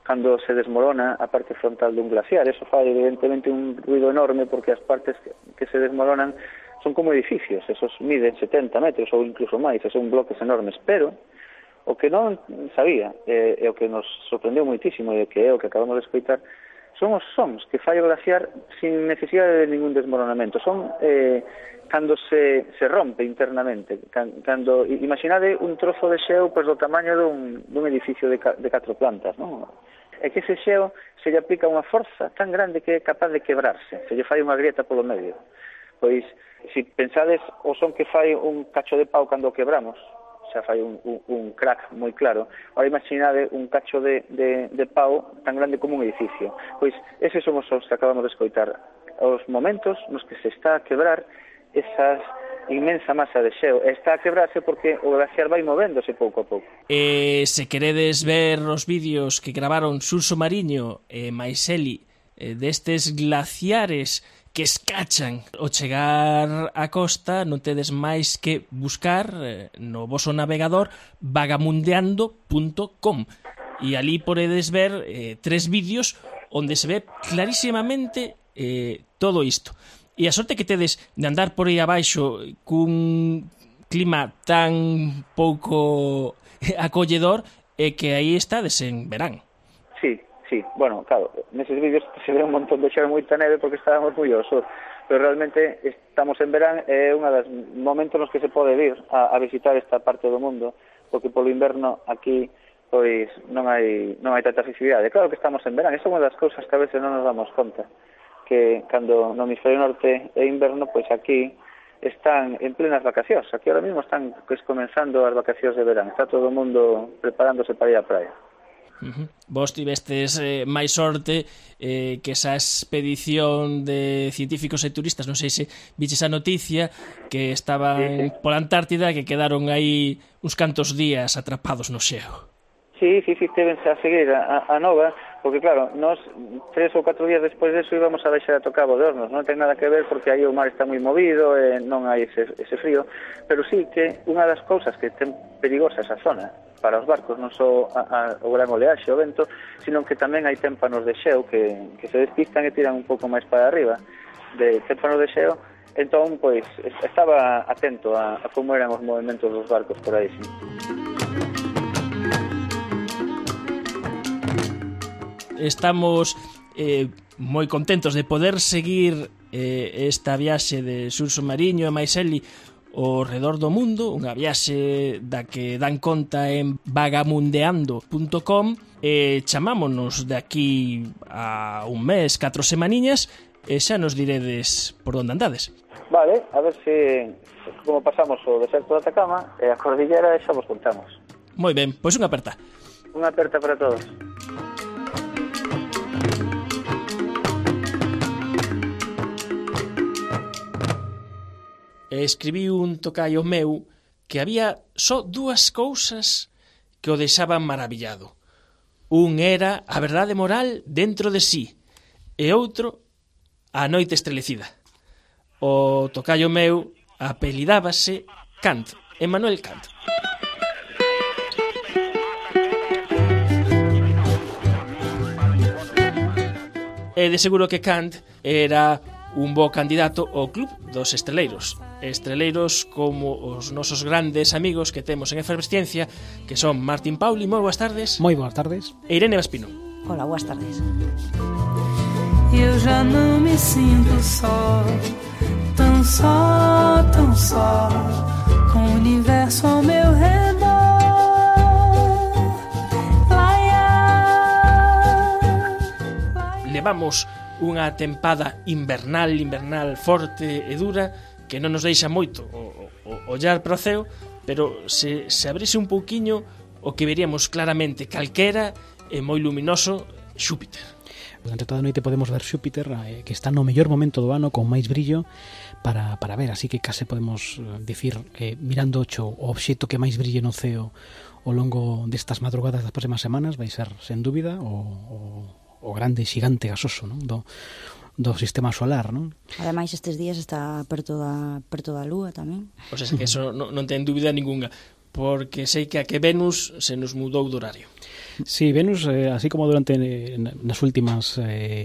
cando se desmorona a parte frontal dun glaciar. Eso fai evidentemente un ruido enorme porque as partes que se desmoronan son como edificios, esos miden 70 metros ou incluso máis, son bloques enormes, pero o que non sabía e o que nos sorprendeu moitísimo e que é o que acabamos de escoitar son os sons que fai o glaciar sin necesidade de ningún desmoronamento. Son cando se rompe internamente, cando imaginade un trozo de xeo pois do tamaño dun edificio de 4 plantas, non? É que ese xeo se lle aplica unha forza tan grande que é capaz de quebrarse, se lle fai unha grieta polo medio. Pois, se pensades o son que fai un cacho de pau cando o quebramos, xa fai un crack moi claro. Ahora imaginade un cacho de pau tan grande como un edificio. Pois, eses son os sons que acabamos de escoitar. Os momentos nos que se está a quebrar esas inmensa masa de xeo. Está a quebrarse porque o glaciar vai movéndose pouco a pouco. Se queredes ver os vídeos que gravaron Suso Mariño e Maiseli destes glaciares que escachan ao chegar á costa, non tedes máis que buscar no voso navegador vagamundeando.com e ali podedes ver 3 vídeos onde se ve clarísimamente todo isto. E a sorte que tedes de andar por aí abaixo cun clima tan pouco acolledor é que aí estades en verán. Sí. Bueno, claro, neses vídeos se ve un montón de xeo moita neve porque estábamos moi ao sur, pero realmente estamos en verán e é unha das momentos nos que se pode vir a visitar esta parte do mundo, porque polo inverno aquí pois non hai tanta accesibilidade. Claro que estamos en verán, esa é unha das cousas que a veces non nos damos conta, que cando no hemisferio norte é inverno, pois aquí están en plenas vacacións. Aquí ahora mismo están comenzando as vacacións de verán. Está todo o mundo preparándose para ir á praia. Vos tivestes máis sorte que esa expedición de científicos e turistas, non sei se viches a noticia que estaban pola Antártida, que quedaron aí uns cantos días atrapados no xeo. Sí, tevense a seguir a nova, porque claro, nós 3 ou 4 días despois deso íbamos a baixar a Tocabo de Hornos, non ten nada que ver porque aí o mar está moi movido e non hai ese frío, pero sí que unha das cousas que ten perigosa esa zona para os barcos non só o gran oleaxe, o vento, sino que tamén hai témpanos de xeo que se despistan e tiran un pouco máis para arriba de témpanos de xeo. Entón, pois, estaba atento a como eran os movimentos dos barcos por aí, sí. Estamos moi contentos de poder seguir esta viaxe de Xurxo Mariño e Maiseli ao redor do mundo, unha viaxe da que dan conta en vagamundeando.com e chamámonos de aquí a un mes, 4 semaniñas, e xa nos diredes por onde andades. Vale, a ver se como pasamos o deserto de Atacama e a cordillera e xa vos contamos. Moi ben, pois unha aperta. Unha aperta para todos. Escribiu un tocaio meu que había só 2 cousas que o deixaban maravillado. Un era a verdade moral dentro de sí e outro a noite estrelecida. O tocaio meu apelidábase Kant, Emmanuel Kant. E de seguro que Kant era un bo candidato ao club dos estreleiros. Estreleiros como os nosos grandes amigos que temos en Efervesciencia, que son Martín Pauli, moi boas tardes. Moi boas tardes. E Irene Vaspino. Hola, boas tardes. Eu já não me sinto só, tão só, com o universo ao meu redor. Levamos unha tempada invernal forte e dura que non nos deixa moito o ollar para o ceo, pero se abrise un pouquiño o que veríamos claramente calquera e moi luminoso Xúpiter. Durante toda a noite podemos ver Xúpiter, que está no mellor momento do ano con máis brillo para ver, así que case podemos dicir que mirando o obxecto que máis brille no ceo ao longo destas madrugadas das próximas semanas vai ser, sen dúbida, o grande xigante gasoso, non? Do sistema solar, non? Ademais, estes días está perto da Lúa tamén. O sea, que eso non ten dúbida ninguna, porque sei que a que Venus se nos mudou do horario. Sí, Venus, así como durante nas últimas,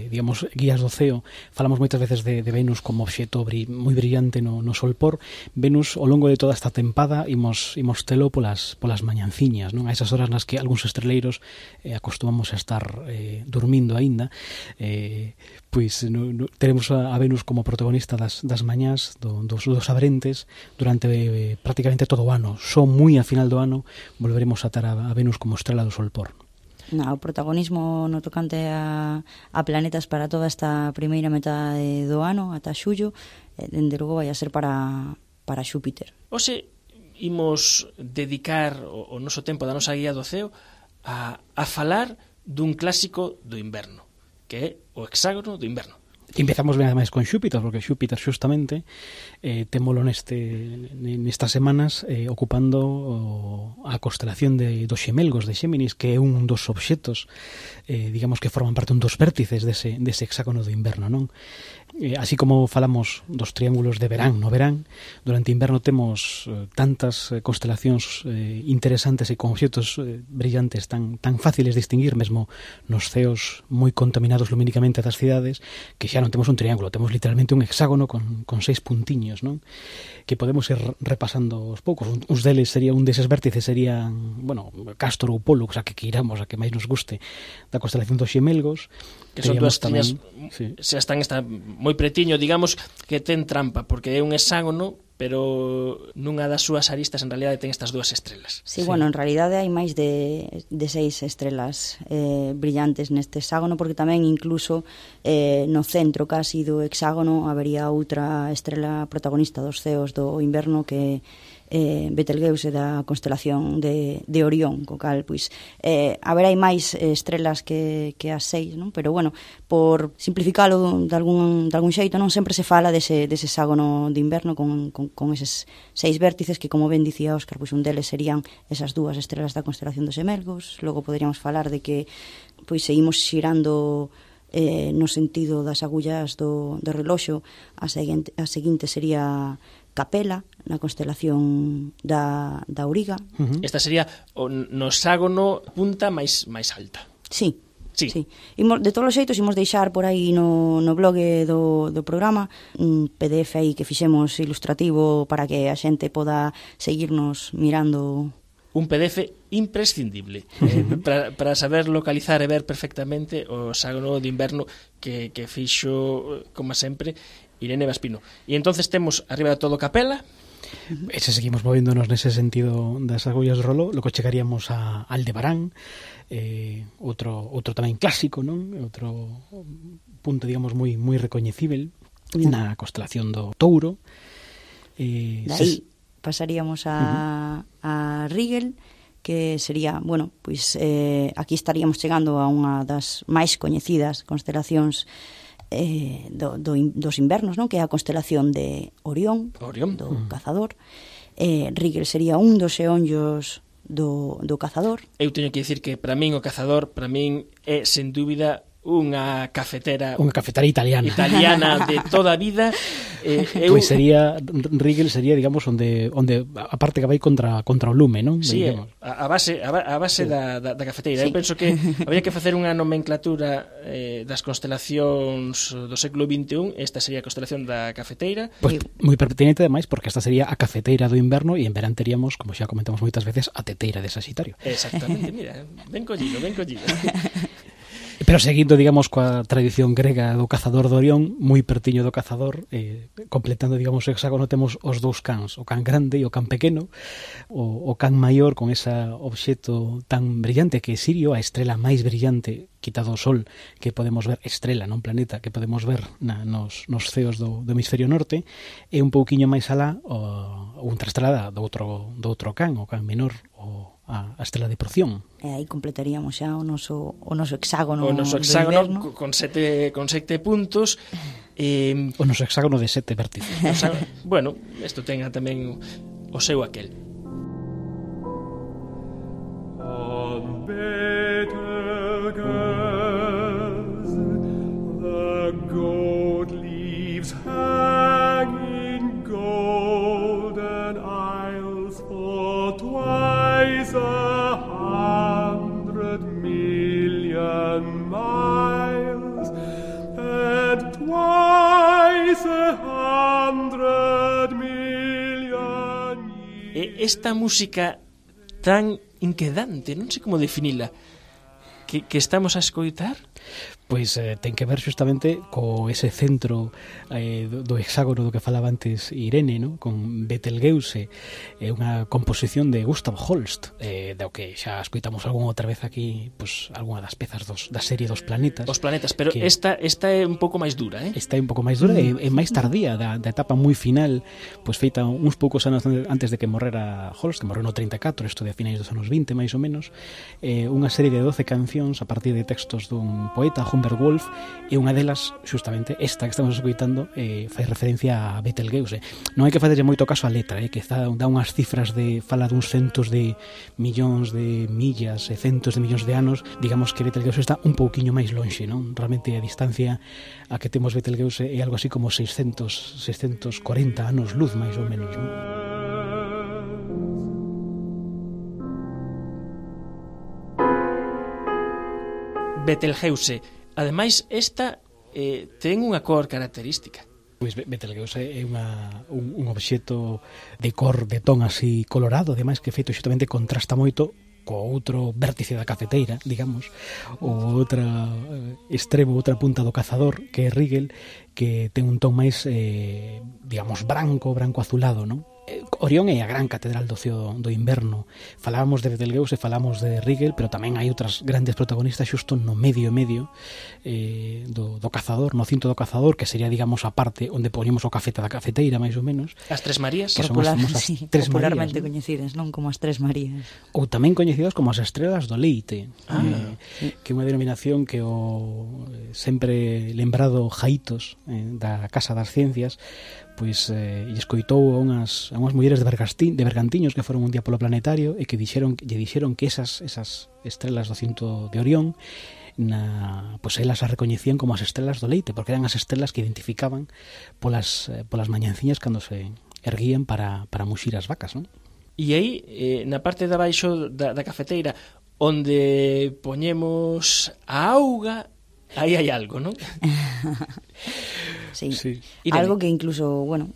digamos, guías do ceo, falamos moitas veces de Venus como obxecto moi brillante no solpor. Venus, ao longo de toda esta tempada, imos telo polas mañanciñas, non? A esas horas nas que algúns estreleiros acostumamos a estar dormindo aínda, pois teremos a Venus como protagonista das mañás dos abrentes durante prácticamente todo o ano. Só moi a final do ano volveremos a ter a Venus como estrela do solpor. O protagonismo no tocante a planetas para toda esta primeira metade do ano, ata xullo, dende logo vai a ser para Xúpiter. Hoxe imos dedicar o noso tempo da nosa guía do ceo a falar dun clásico do inverno, que é o hexágono do inverno. Empezamos ben ademais con Xúpiter, porque Xúpiter xustamente témolo nestas semanas ocupando a constelación dos Xemelgos de Xéminis, que é un dos obxectos digamos que forman parte dos vértices dese hexágono do inverno, non? Así como falamos dos triángulos de verán no verán, durante inverno temos tantas constelacións interesantes e con obxectos brillantes tan fáciles de distinguir, mesmo nos ceos moi contaminados lumínicamente das cidades, que xa non temos un triángulo, temos literalmente un hexágono con 6 puntiños, non? Que podemos ir repasando aos poucos. Uns deles un deses vértices serían, bueno, Castor ou Pollux, a que queiramos, a que máis nos guste, da constelación dos Xemelgos, que son dúas estrellas, se están moi pretiño, digamos que ten trampa, porque é un hexágono, pero nunha das súas aristas en realidade ten estas dúas estrelas. Sí, bueno, en realidade hai máis de 6 estrelas brillantes neste hexágono, porque tamén incluso no centro casi do hexágono habería outra estrela protagonista dos ceos do inverno que Betelgeuse da constelación de Orión, co cal, pois, haberá máis estrelas que as 6, non? Pero, bueno, por simplificalo de algún xeito, non sempre se fala dese hexágono de inverno con eses 6 vértices que, como ben dicía Óscar, pois un deles serían esas 2 estrelas da constelación dos Gemelgos. Logo poderíamos falar de que pois seguimos xirando no sentido das agullas do reloxo. A seguinte sería Capela, na constelación da Auriga. Esta sería o hexágono punta máis alta. Sí. Sí. De todos os xeitos, imos deixar por aí no blog do programa un PDF aí que fixemos ilustrativo para que a xente poda seguirnos mirando. Un PDF imprescindible para saber localizar e ver perfectamente o hexágono de inverno que fixo, como sempre, Irene Vaspino. E entonces temos arriba de todo Capela. E se seguimos movéndonos nese sentido das agullas de roló, logo chegaríamos a Aldebarán, outro tamén clásico, non? Outro punto, digamos, moi recoñecível na constelación do Touro. Daí pasaríamos a Rigel, que sería, bueno, pois aquí estaríamos chegando a unha das máis coñecidas constelacións dos invernos, non? Que é a constelación de Orión. Do Cazador. Rigel sería un dos xeonllos do Cazador. Eu teño que dicir que para min o Cazador é sen dúbida unha cafetera italiana de toda a vida. Pois sería Rigel sería, digamos, onde a parte que vai contra o lume, non? Sí, a base sí. da cafeteira. Sí. Eu penso que habría que facer unha nomenclatura das constelacións do século XXI. Esta sería a constelación da cafeteira. Pois moi pertinente, ademais, porque esta sería a cafeteira do inverno e en verán teríamos, como xa comentamos moitas veces, a teteira de Saxitario. Exactamente, mira, ben collido. Pero seguindo, digamos, coa tradición grega do Cazador de Orión, moi pertiño do Cazador, completando, digamos, o hexágono, temos os dous cans, o can grande e o can pequeno. O can maior con ese obxecto tan brillante que é Sirio, a estrela máis brillante, quitado o Sol, que podemos ver, estrela, non planeta, que podemos ver nos ceos do hemisferio norte, e un pouquiño máis alá outra estrela do outro can, o can menor, a estrela de Procyon. E aí completaríamos xa o noso hexágono. O noso hexágono con sete puntos. O noso hexágono de 7 vértices. Bueno, isto ten tamén o seu aquel. On Betelgeuse the gold leaves hanging golden isles for twice 100 million miles and twice 100 million years. Esta música tan inquedante, non sei como definila, que estamos a escoitar. Pois ten que ver xustamente co ese centro do hexágono do que falaba antes Irene, non? Con Betelgeuse, unha composición de Gustav Holst, do que xa escoitamos algunha outra vez aquí, pois algunha das pezas da serie dos planetas. Os planetas, pero que esta é un pouco máis dura, Esta é un pouco máis dura e máis tardía, da etapa moi final, pois feita uns poucos anos antes de que morrera Holst, que morreu no 34, isto de finais dos anos 20, máis ou menos, unha serie de 12 cancións a partir de textos dun poeta, Humbert Wolf, e unha delas, xustamente esta que estamos escoitando, fai referencia a Betelgeuse. Non hai que facerlle moito caso á letra, que dá unhas cifras fala duns centos de millóns de millas e centos de millóns de anos. Digamos que Betelgeuse está un pouquiño máis lonxe, non? Realmente a distancia a que temos Betelgeuse é algo así como 640 anos luz, máis ou menos, non? Betelgeuse. Ademais, esta ten unha cor característica. Pois Betelgeuse é un obxecto de cor, de ton así colorado, ademais que feito xustamente contrasta moito co outro vértice da cafeteira, digamos, o outra extremo, outra punta do Cazador, que é Rigel, que ten un ton máis, digamos, branco azulado, non? Orión é a gran catedral do ceo do inverno. Falábamos de Betelgeuse, falamos de Rigel, pero tamén hai outras grandes protagonistas xusto no medio do cazador, no cinto do cazador, que sería, digamos, a parte onde poñemos o cafeta da cafeteira, máis ou menos. As Tres Marías, que son as famosas Tres popularmente Marías, coñecidas, non? Como as Tres Marías. Ou tamén coñecidas como as Estrelas do Leite, que é unha denominación que o sempre lembrado Jaitos da Casa das Ciencias pois lle escoitou a unhas mulleres de Bergantiños que foron un día polo planetario e que lle dixeron que esas estrelas do cinto de Orión pois elas as recoñecían como as estrelas do leite, porque eran as estrelas que identificaban polas mañanciñas cando se erguían para muxir as vacas, non? E aí, na parte de abaixo da cafeteira, onde poñemos a auga, aí hai algo, non? Sí. Algo que incluso, bueno,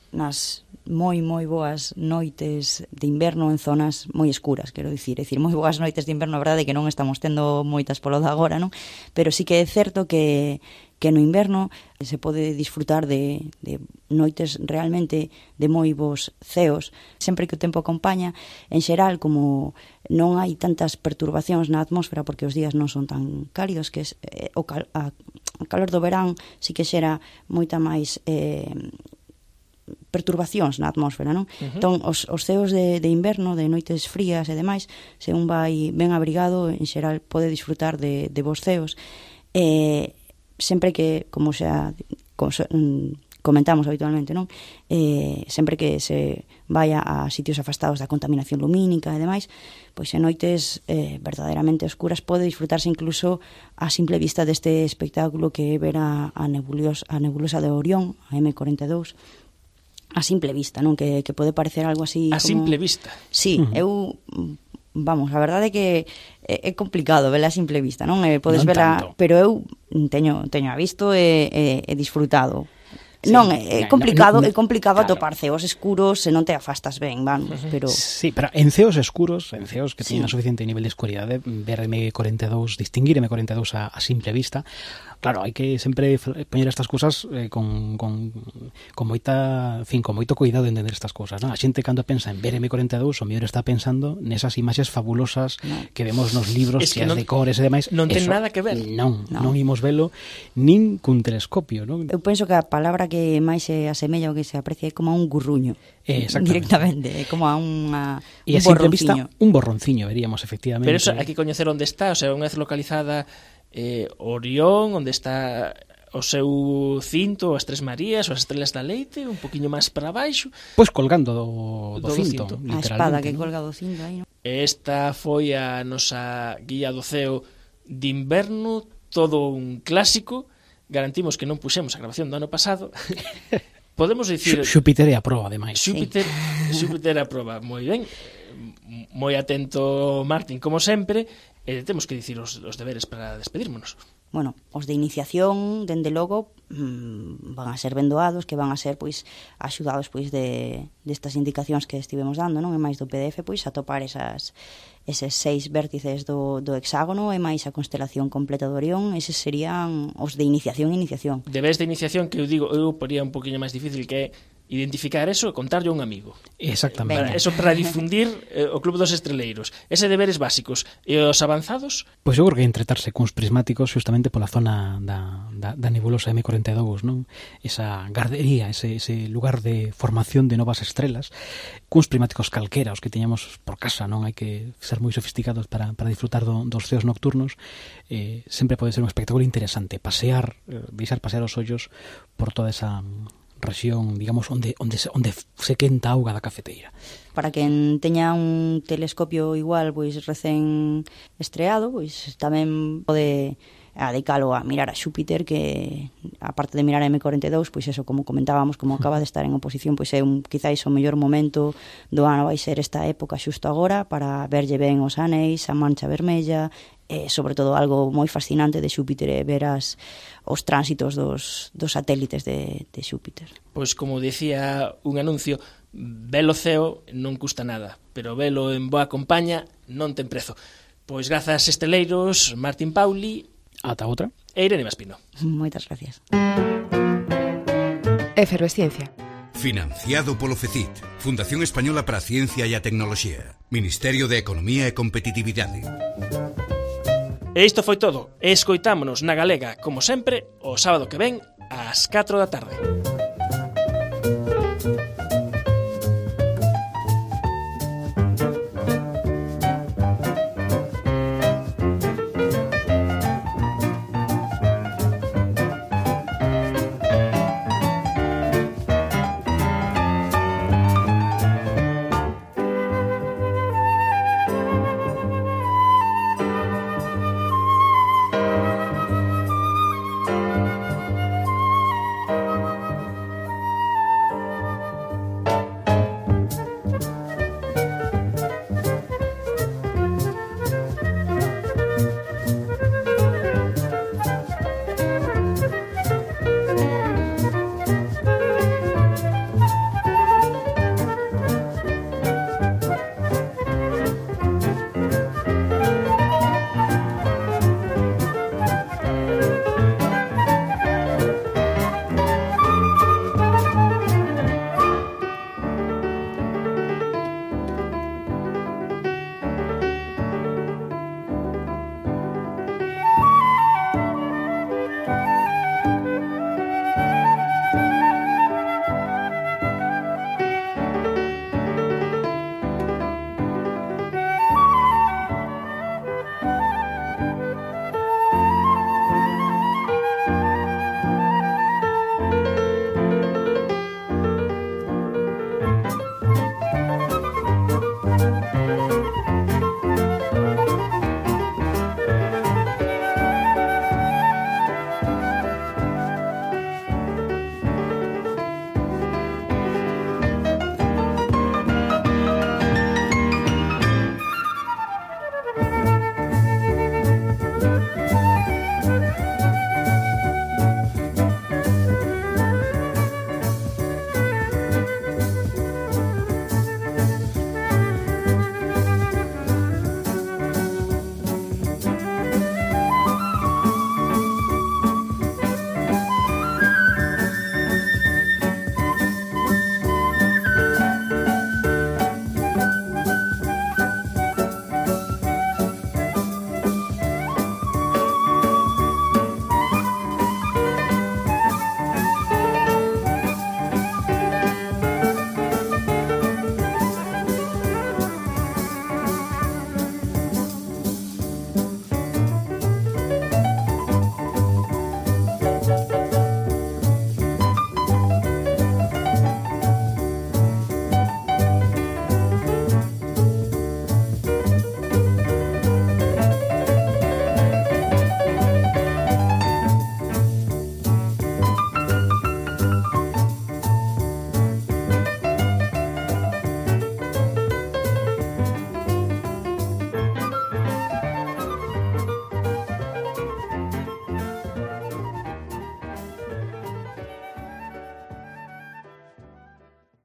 nas moi boas noites de inverno en zonas moi escuras, quero dicir, moi boas noites de inverno, a verdade é que non estamos tendo moitas polo de agora, non? Pero sí que é certo que no inverno se pode disfrutar de noites realmente de moi bons ceos, sempre que o tempo acompaña. En xeral, como non hai tantas perturbacións na atmósfera porque os días non son tan cálidos, que a calor do verán sí que xera moita máis perturbacións na atmósfera, non? Entón, os ceos de inverno, de noites frías e demais, se un vai ben abrigado, en xeral pode disfrutar de bons ceos. Sempre que, como xa comentamos habitualmente, non? Sempre que se vaya a sitios afastados da contaminación lumínica e demais, pois en noites verdadeiramente oscuras pode disfrutarse incluso a simple vista deste espectáculo que é ver a nebulosa de Orión, a M42, a simple vista, non? Que pode parecer algo así a como... simple vista? Sí, vamos, a verdade é que é complicado vela a simple vista, non? Podes non vela, tanto. pero eu teño a visto e disfrutado. Sí, non, é complicado claro. atopar ceos escuros se non te afastas ben, vamos, pero... Sí, pero en ceos escuros, en ceos que teñen suficiente nivel de escuridade, ver M42, distinguir M42 a simple vista, claro, hai que sempre poñer estas cousas con moita, en fin, con moito cuidado de entender estas cousas, non? A xente cando pensa en ver M42, o mellor está pensando nesas imaxes fabulosas que vemos nos libros, que as de cores e demais. Non ten nada que ver. Non imos velo nin cun telescopio, non? Eu penso que a palabra que máis se asemella ou que se aprecia é como a un gurruño. Directamente, é como a un borronciño. Un borronciño, veríamos, efectivamente. Pero eso hai que coñecer onde está, o sea, unha vez localizada Orión, onde está o seu cinto, as Tres Marías, as Estrelas da Leite, un poquinho máis para baixo. Pois colgando do cinto, a espada que colga do cinto aí, non? Esta foi a nosa guía do ceo de inverno, todo un clásico. Garantimos que non puxemos a grabación do ano pasado. Podemos dicir... Xúpiter é a proba, ademais. Xúpiter é a proba, moi ben. Moi atento, Martín, como sempre. Temos que dicir os deberes para despedírmonos. Bueno, os de iniciación, dende logo, van a ser ben doados, que van a ser, pois, axudados, pois, destas indicacións que estivemos dando, non? E máis do PDF, pois, atopar eses 6 vértices do hexágono e máis a constelación completa do Orión. Eses serían os de iniciación. Deberes de iniciación que eu poría un poquinho máis difícil, que é identificar eso e contarlle a un amigo. Exactamente. Eso para difundir o Club dos Estreleiros. Ese deberes básicos. E os avanzados? Pois eu creo que entretarse cuns prismáticos justamente pola zona da nebulosa M42, non? Esa gardería, ese lugar de formación de novas estrelas, cuns prismáticos calquera, os que teñamos por casa, non? Hai que ser moi sofisticados para disfrutar dos ceos nocturnos. Sempre pode ser un espectáculo interesante, deixar pasear os ollos por toda esa rexión, digamos, onde se quenta a auga da cafeteira. Para quen teña un telescopio igual, pois recén estreado, pois tamén pode adicalo a mirar a Xúpiter, que aparte de mirar a M42, pois eso, como comentábamos, como acaba de estar en oposición, pois é quizáis o mellor momento do ano, vai ser esta época xusto agora, para verlle ben os anéis, a mancha vermella, e sobre todo algo moi fascinante de Xúpiter é ver os tránsitos dos satélites de Xúpiter. Pois como dicía un anuncio, velo ceo non custa nada, pero velo en boa compañía non ten prezo. Pois grazas, esteleiros, Martín Pauli. Ata outra. E Irene Maspino. Moitas gracias. Efervesciencia. Financiado polo FECIT, Fundación Española para a Ciencia e a Tecnoloxía, Ministerio de Economía e Competitividade. E isto foi todo. Escoitámonos na Galega, como sempre, o sábado que ven, ás 4 da tarde.